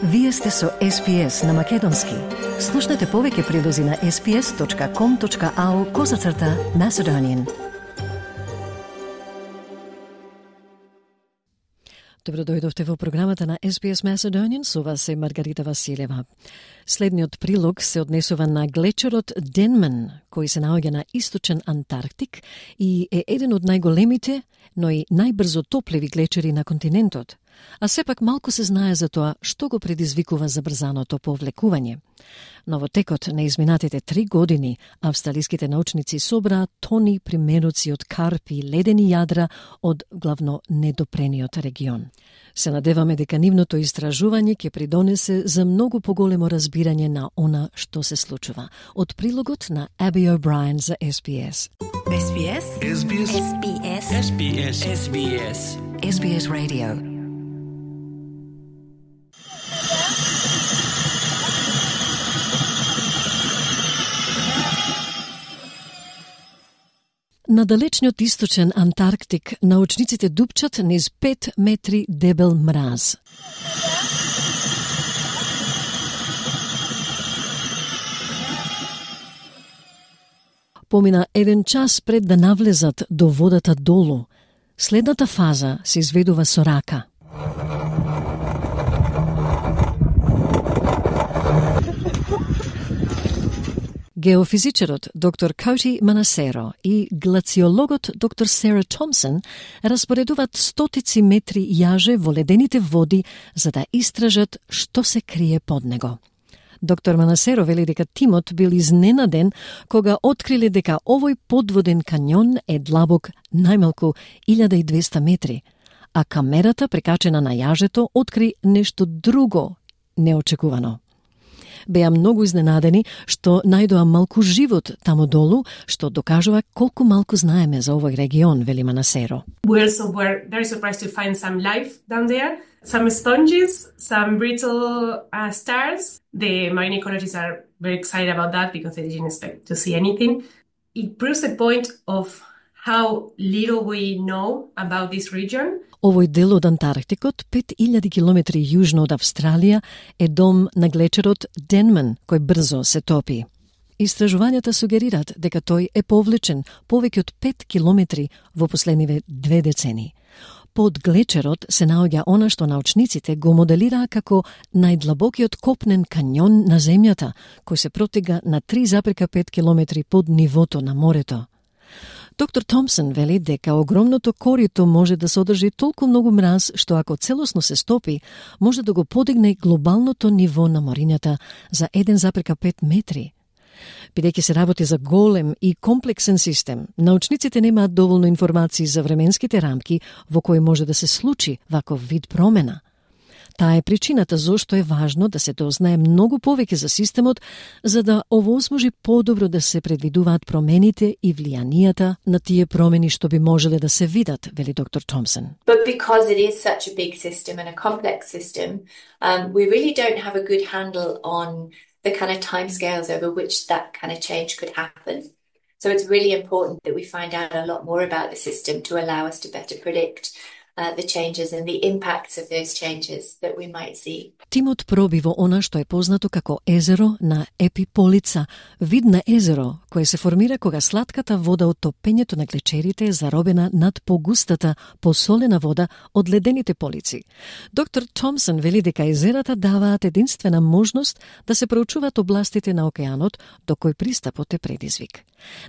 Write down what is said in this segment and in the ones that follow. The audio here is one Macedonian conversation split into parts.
Вие сте со SPS на Македонски. Слушнете повеќе прилози на sps.com.au/Macedonian. Добро дојдовте во програмата на SPS Macedonian, со вас е Маргарита Василева. Следниот прилог се однесува на глечерот Денман, кој се наоѓа на источен Антарктик и е еден од најголемите, но и најбрзо топливи глечери на континентот. А сепак малку се знае за тоа што го предизвикува забрзаното повлекување. Но во текот на изминатите 3 години, австралиските научници собраа тони примеруци од карпи и ледени јадра од главно недопрениот регион. Се надеваме дека нивното истражување ќе придонесе за многу поголемо разбирање на она што се случува. Од прилогот на Аби О'Брајен за SBS. SBS? SBS? SBS? SBS? SBS? SBS Radio. На далечниот источен Антарктик научниците дупчат низ 5 метри дебел мраз. Помина 1 час пред да навлезат до водата долу. Следната фаза се изведува со рака. Геофизичарот доктор Коти Манасеро и глациологот доктор Сара Томсон распоредуваат стотици метри јаже во ледените води за да истражат што се крие под него. Доктор Манасеро вели дека тимот бил изненаден кога откриле дека овој подводен канјон е длабок најмалку 1200 метри, а камерата прикачена на јажето откри нешто друго неочекувано. Беа многу изненадени што најдоа малку живот таму долу, што докажува колку малку знаеме за овој регион, вели Манасеро. We also were very surprised to find some life down there, some sponges, some brittle stars. The marine ecologists are very excited about that because they didn't expect to see anything. It proves the point of how little we know about this region. Овој дел од Антарктикот, 5000 километри јужно од Австралија, е дом на глечерот Денман, кој брзо се топи. Истражувањата сугерираат дека тој е повлечен повеќе од 5 километри во последниве 2 децении. Под глечерот се наоѓа она што научниците го моделираа како најдлабокиот копнен канјон на земјата, кој се протега на 3,5 километри под нивото на морето. Доктор Томсон вели дека огромното корито може да содржи толку многу мраз што ако целосно се стопи, може да го подигне глобалното ниво на морињата за 1,5 метри. Бидејќи се работи за голем и комплексен систем, научниците немаат доволно информации за временските рамки во кои може да се случи ваков вид промена. Таа е причината зошто е важно да се дознае многу повеќе за системот, за да овозможи подобро да се предвидуваат промените и влијанијата на тие промени што би можеле да се видат, вели доктор Томсон. But because it is such a big system and a complex system, we really don't have a good handle on the kind of timescales over which that kind of change could happen. So it's really important that we find out a lot more about the system to allow us to better predict the changes and the impacts of those changes that we might see. Тимот проби во она што е познато како езеро на Епиполица, вид на езеро кое се формира кога слатката вода од топењето на глечерите е заробена над погустата, посолена вода од ледените полици. Доктор Томсон вели дека езерата даваат единствена можност да се проучуваат областите на океанот до кој пристапот е предизвик.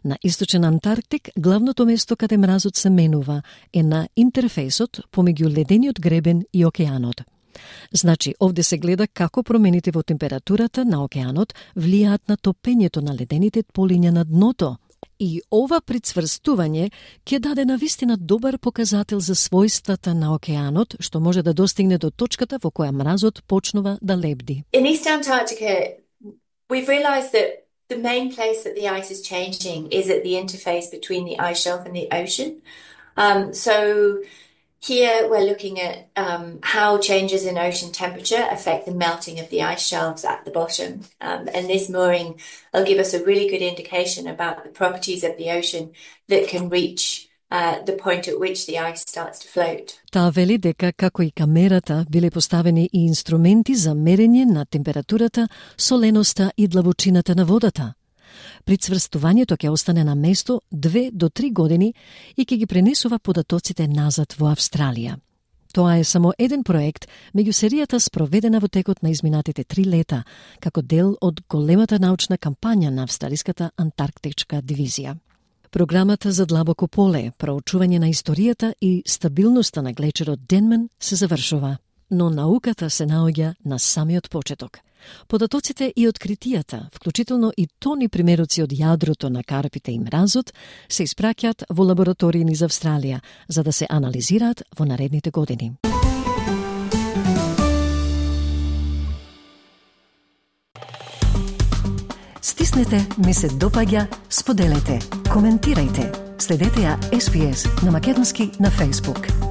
На источен Антарктик, главното место каде мразот се менува е на интерфејсот помеѓу ледениот гребен и океанот. Значи, овде се гледа како промените во температурата на океанот влијаат на топењето на ледените полиња на дното. И ова прицврстување ќе даде навистина добар показател за својствата на океанот, што може да достигне до точката во која мразот почнува да лебди. In East Antarctica, we've realized that the main place that the ice is changing is at the interface between the ice shelf and the ocean. So here we're looking at how changes in ocean temperature affect the melting of the ice shelves at the bottom. And this mooring will give us a really good indication about the properties of the ocean that can reach the point at which the ice starts to float. Таа вели дека, како и камерата, биле поставени и инструменти за мерење на температурата, соленоста и длабочината на водата. Прицврстувањето ќе остане на место 2 до 3 години и ќе ги пренесува податоците назад во Австралија. Тоа е само еден проект меѓу серијата спроведена во текот на изминатите 3 лета, како дел од големата научна кампања на Австралиската антарктичка дивизија. Програмата за длабоко поле, проучување на историјата и стабилноста на глечерот Денман се завршува, но науката се наоѓа на самиот почеток. Податоците и откритијата, вклучително и тони примероци од јадрото на карпите и мразот, се испраќаат во лаборатории низ Австралија, за да се анализираат во наредните години. Стиснете, ми се допаѓа, споделете, коментирајте. Следете ја SPS на македонски на Facebook.